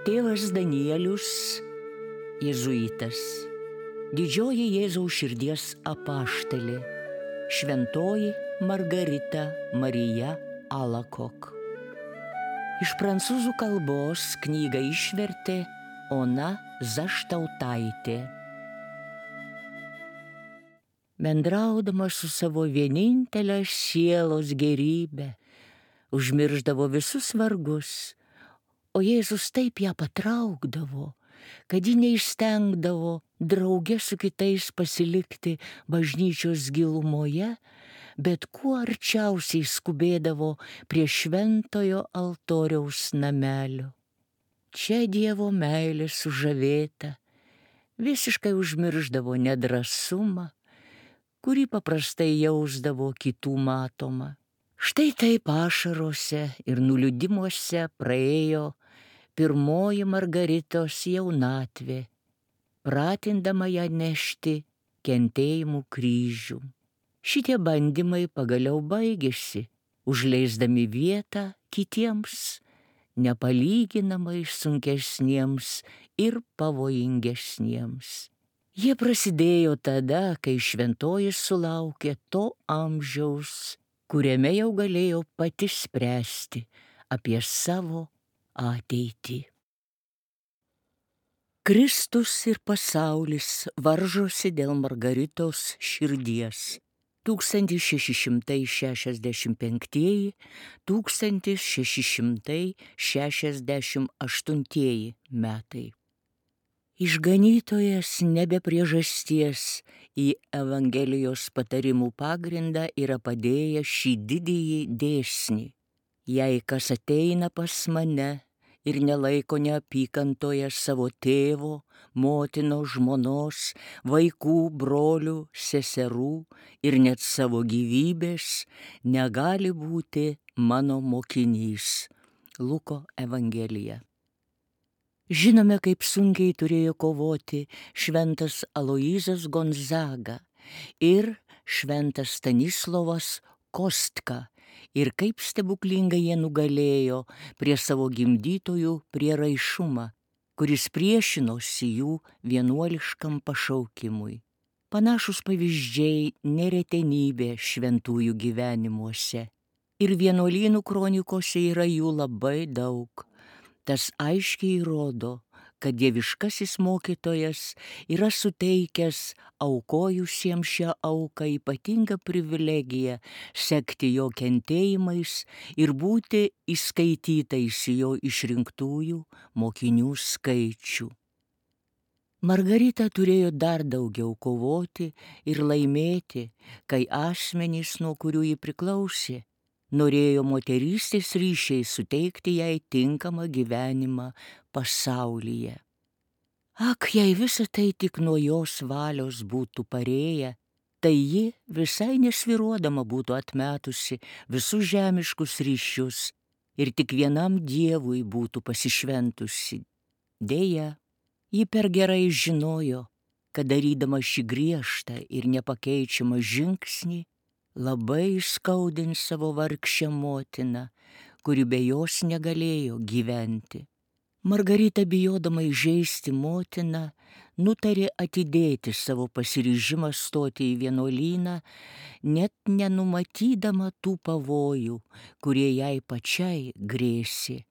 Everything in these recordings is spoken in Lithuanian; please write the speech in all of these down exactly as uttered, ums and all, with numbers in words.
Tėvas Danielius, jėzuitas, didžioji Jėzaus širdies apaštalė, šventoji Margarita Marija Alakok. Iš prancūzų kalbos knygą išvertė Ona Zaštautaitė. Bendraudama su savo vienintelę sielos gerybę, užmirždavo visus vargus, o Jėzus taip ją patraukdavo, kad ji neįstengdavo drauge su kitais pasilikti bažnyčios gilumoje, bet kuo arčiausiai skubėdavo prie šventojo altoriaus namelio. Čia Dievo meilė sužavėta, visiškai užmirždavo nedrąsumą, kurį paprastai jausdavo kitų matomą. Štai taip ašarose ir nuliūdimuose praėjo pirmoji Margaritos jaunatvė, pratindama ją nešti kentėjimų kryžių. Šitie bandymai pagaliau baigėsi, užleisdami vietą kitiems, nepalyginamai sunkesniems ir pavojingesniems. Jie prasidėjo tada, kai šventoji sulaukė to amžiaus, kuriame jau galėjo pati spręsti apie savo ateitį. Kristus ir pasaulis varžosi dėl Margaritos širdies. tūkstantis šeši šimtai šešiasdešimt penktieji - tūkstantis šeši šimtai šešiasdešimt aštuntieji metai. Išganytojas nebe priežasties į Evangelijos patarimų pagrindą yra padėjęs šį didįjį dėsnį. Jei kas ateina pas mane ir nelaiko neapykantoje savo tėvo, motinos, žmonos, vaikų, brolių, seserų ir net savo gyvybės, negali būti mano mokinys. Luko Evangelija. Žinome, kaip sunkiai turėjo kovoti šventas Aloyzas Gonzaga ir šventas Stanislovas Kostka ir kaip stebuklingai jie nugalėjo prie savo gimdytojų prieraišumą, kuris priešinosi jų vienuoliškam pašaukimui. Panašus pavyzdžiai neretenybė šventųjų gyvenimuose. Ir vienuolynų kronikose yra jų labai daug. Tas aiškiai rodo, kad dieviškasis mokytojas yra suteikęs aukojusiems šią auką ypatingą privilegiją sekti jo kentėjimais ir būti įskaitytais į jo išrinktųjų mokinių skaičių. Margarita turėjo dar daugiau kovoti ir laimėti, kai asmenys, nuo kurių ji priklausė, norėjo moterystės ryšiai suteikti jai tinkamą gyvenimą pasaulyje. Ak, jei visa tai tik nuo jos valios būtų parėję, tai ji visai nesviruodama būtų atmetusi visus žemiškus ryšius ir tik vienam Dievui būtų pasišventusi. Deja, ji per gerai žinojo, kad darydama šį griežtą ir nepakeičiamą žingsnį, labai skaudins savo vargšę motiną, kuri be jos negalėjo gyventi. Margarita, bijodama įžeisti motiną, nutarė atidėti savo pasiryžimą stoti į vienuolyną, net nenumatydama tų pavojų, kurie jai pačiai grėsė.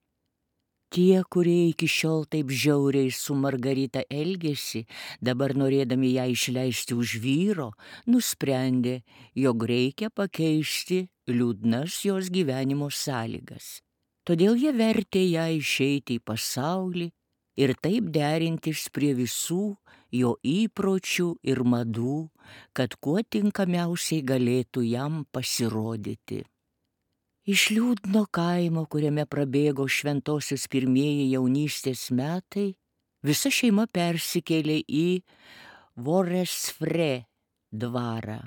Tie, kurie iki šiol taip žiauriai su Margarita elgėsi, dabar norėdami ją išleisti už vyro, nusprendė, jog reikia pakeisti liūdnas jos gyvenimo sąlygas. Todėl jie vertė ją išeiti į pasaulį ir taip derintis prie visų jo įpročių ir madų, kad kuo tinkamiausiai galėtų jam pasirodyti. Iš liūdno kaimo, kuriame prabėgo šventosios pirmieji jaunystės metai, visa šeima persikėlė į Voresfre dvarą.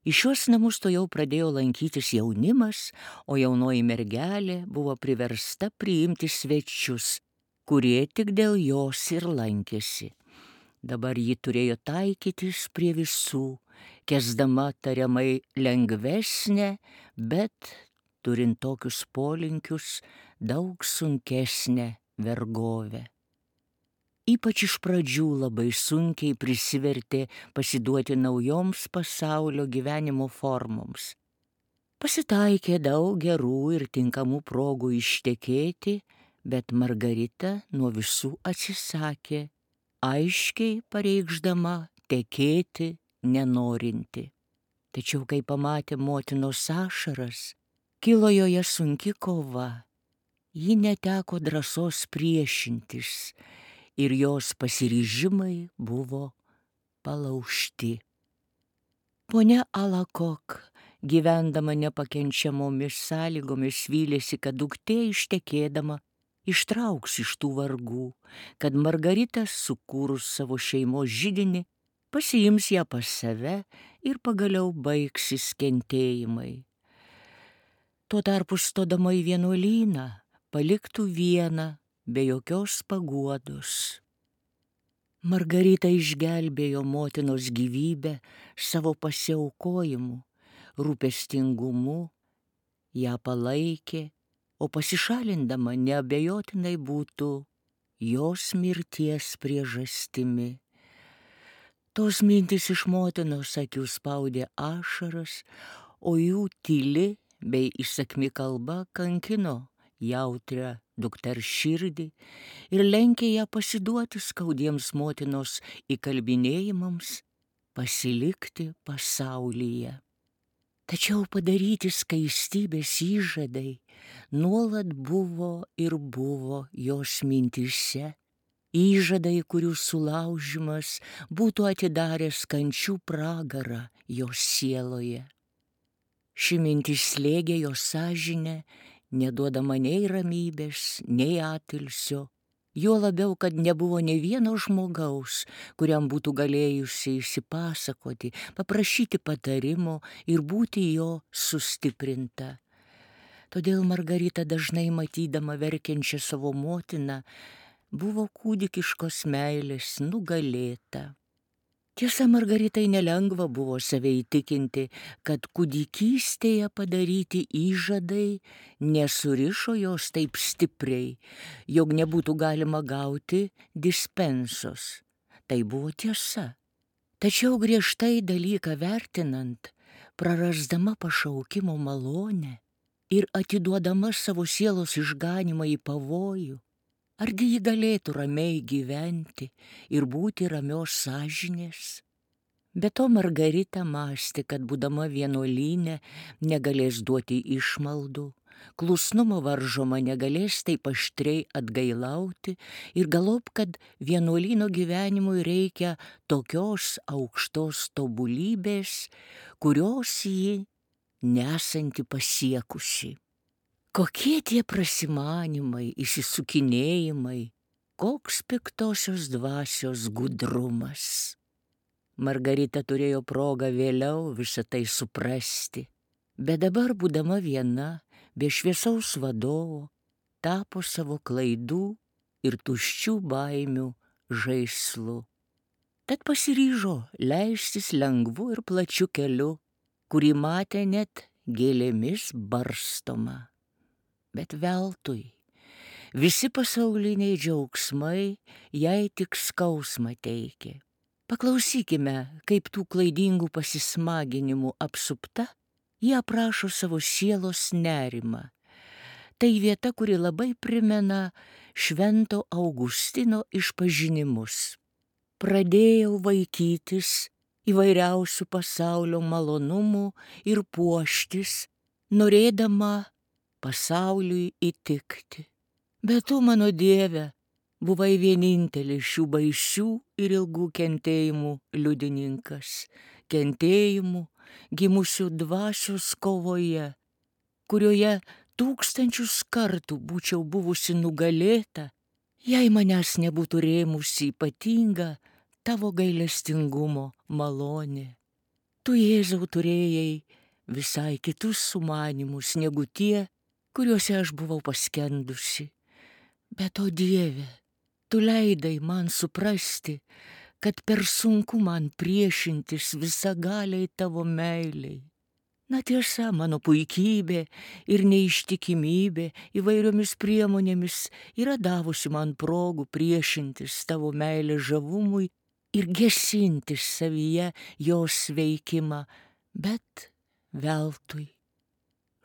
Į šiuos namus to jau pradėjo lankytis jaunimas, o jaunoji mergelė buvo priversta priimti svečius, kurie tik dėl jos ir lankėsi. Dabar ji turėjo taikytis prie visų, kesdama tariamai lengvesnę, bet turint tokius polinkius, daug sunkesnę vergovę. ypač iš pradžių labai sunkiai prisivertė pasiduoti naujoms pasaulio gyvenimo formoms. Pasitaikė daug gerų ir tinkamų progų ištekėti, bet Margarita nuo visų atsisakė, aiškiai pareikšdama tekėti nenorinti. Tačiau, kai pamatė motinos ašaras, kilo joje sunki kova. Ji neteko drąsos priešintis ir jos pasiryžimai buvo palaužti. Ponia Alakok, gyvendama nepakenčiamomis sąlygomis, vylėsi, kad duktė ištekėdama ištrauks iš tų vargų, kad Margarita, sukūrus savo šeimos židinį, pasiims ją pas save ir pagaliau baigsis kentėjimai. Tuo tarpu stodama į vienuolyną, paliktų vieną, be jokios paguodos. Margarita išgelbėjo motinos gyvybę savo pasiaukojimu, rūpestingumu, ją palaikė, o pasišalindama neabejotinai būtų jos mirties priežastimi. Tos mintys iš motinos akių spaudė ašaras, o jų tyli bei įsakmi kalba kankino jautrią dukters širdį ir lenkė ją pasiduoti skaudiems motinos įkalbinėjimams, pasilikti pasaulyje. Tačiau padaryti skaistybės įžadai nuolat buvo ir buvo jos mintyse, įžadai, kurių sulaužimas būtų atidaręs kančių pragarą jos sieloje. Ši mintis slėgė jos sąžinę, neduodama nei ramybės, nei atilsio, juo labiau, kad nebuvo nė vieno žmogaus, kuriam būtų galėjusi išsipasakoti, paprašyti patarimo ir būti jo sustiprinta. Todėl Margarita, dažnai matydama verkiančią savo motiną, buvo kūdikiškos meilės nugalėta. Tiesa, Margaritai nelengva buvo save įtikinti, kad kūdikystėje padaryti įžadai nesurišo jos taip stipriai, jog nebūtų galima gauti dispensos. Tai buvo tiesa. Tačiau griežtai dalyką vertinant, prarasdama pašaukimo malonę ir atiduodama savo sielos išganymą į pavojų, argi ji galėtų ramiai gyventi ir būti ramios sąžinės? Be to Margarita mąstė, kad būdama vienuolyne negalės duoti išmaldų, klusnumo varžoma negalės taip aštriai atgailauti ir galop, kad vienuolyno gyvenimui reikia tokios aukštos tobulybės, kurios ji nesanti pasiekusi. Kokie tie prasimanimai, įsisukinėjimai, koks piktosios dvasios gudrumas. Margarita turėjo progą vėliau visą tai suprasti, bet dabar, būdama viena, be šviesaus vadovo, tapo savo klaidų ir tuščių baimių žaislu. Tad pasiryžo leistis lengvu ir plačiu keliu, kurį matė net gėlėmis barstoma. Bet veltui. Visi pasauliniai džiaugsmai jai tik skausmą teikė. Paklausykime, kaip tų klaidingų pasismaginimų apsupta, jie aprašo savo sielos nerimą. Tai vieta, kuri labai primena Švento Augustino išpažinimus. Pradėjau vaikytis įvairiausių pasaulio malonumų ir puoštis, norėdama pasauliui įtikti. Bet tu, mano Dieve, buvai vienintelis šių baisių ir ilgų kentėjimų liudininkas, kentėjimų gimusių dvasios kovoje, kurioje tūkstančius kartų būčiau buvusi nugalėta, jei manęs nebūtų rėmusi ypatinga tavo gailestingumo malonė. Tu, Jėzau, turėjai visai kitus sumanymus negu tie, kuriuose aš buvau paskendusi. Bet, o Dieve, tu leidai man suprasti, kad per sunku man priešintis visagaliai tavo meiliai. Na tiesa, mano puikybė ir neištikimybė įvairiomis priemonėmis yra davusi man progų priešintis tavo meilės žavumui ir gesintis savyje jos veikimą, bet veltui.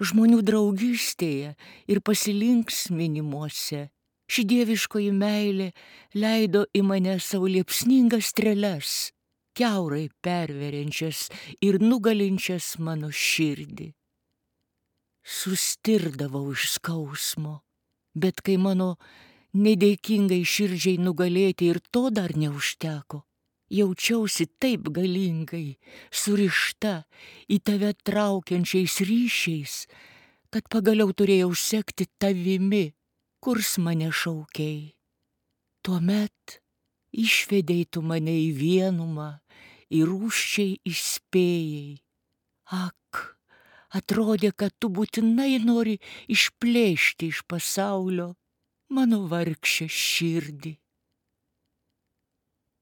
Žmonių draugystėje ir pasilinksminimuose ši dieviškoji meilė leido į mane savo liepsningas strėles, kiaurai perveriančias ir nugalinčias mano širdį. Sustirdavau iš skausmo, bet kai mano nedėkingai širdžiai nugalėti ir to dar neužteko, jaučiausi taip galingai, surišta į tave traukiančiais ryšiais, kad pagaliau turėjau sekti tavimi, kurs mane šaukei. Tuomet išvedei tu mane į vienumą, ir rūsčiai įspėjai. Ak, atrodė, kad tu būtinai nori išplėšti iš pasaulio mano vargšę širdį.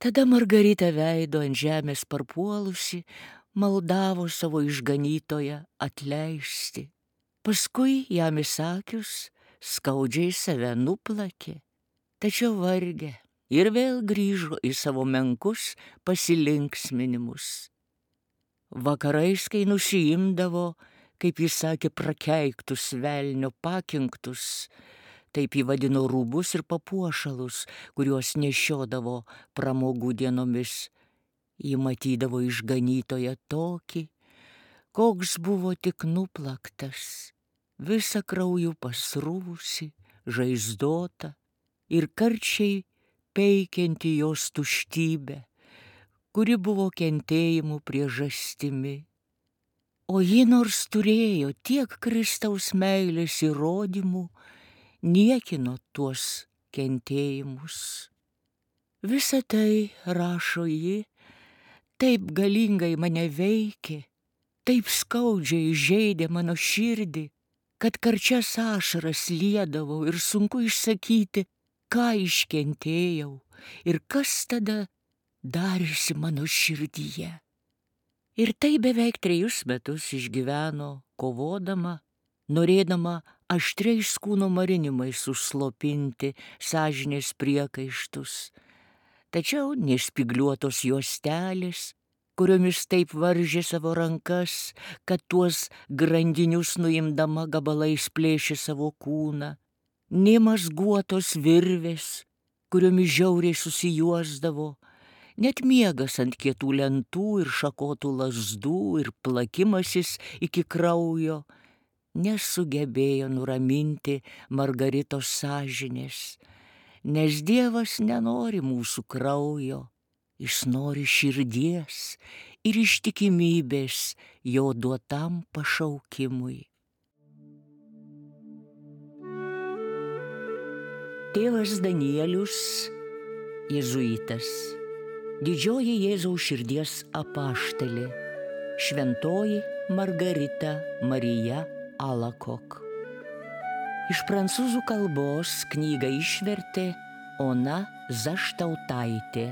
Tada Margarita veido ant žemės parpuolusi, maldavo savo išganytoją atleisti. Paskui jam įsakius, skaudžiai save nuplakė, tačiau vargė ir vėl grįžo į savo menkus pasilinksminimus. Vakarais, kai nusiimdavo, kaip jis sakė, prakeiktus velnio pakinktus, taip jį vadino rūbus ir papuošalus, kuriuos nešiodavo pramogų dienomis, jį matydavo išganytoją tokį, koks buvo tik nuplaktas, visą krauju pasrūvusi, žaizdota ir karčiai peikianti jos tuštybę, kuri buvo kentėjimų priežastimi. O ji nors turėjo tiek Kristaus meilės įrodymų, niekino tuos kentėjimus. Visa tai, rašo ji, taip galingai mane veikė, taip skaudžiai žeidė mano širdį, kad karčias ašaras liedavau ir sunku išsakyti, ką iškentėjau ir kas tada darėsi mano širdyje. Ir tai beveik trejus metus išgyveno, kovodama, norėdama aštriais kūno marinimais užslopinti sąžinės priekaištus. Tačiau nespygliuotos juostelės, kuriomis taip varžė savo rankas, kad tuos grandinius nuimdama gabalais plėšė savo kūną, nemazguotos virvės, kuriomis žiauriai susijuosdavo, net miegas ant kietų lentų ir šakotų lazdų ir plakimasis iki kraujo nesugebėjo nuraminti Margaritos sąžinės, nes Dievas nenori mūsų kraujo, jis nori širdies ir ištikimybės jo duotam pašaukimui. Tėvas Danielius, jėzuitas, didžioji Jėzaus širdies apaštalė, šventoji Margarita Marija Alakok. Iš prancūzų kalbos knygą išvertė Ona Zaštautaitė.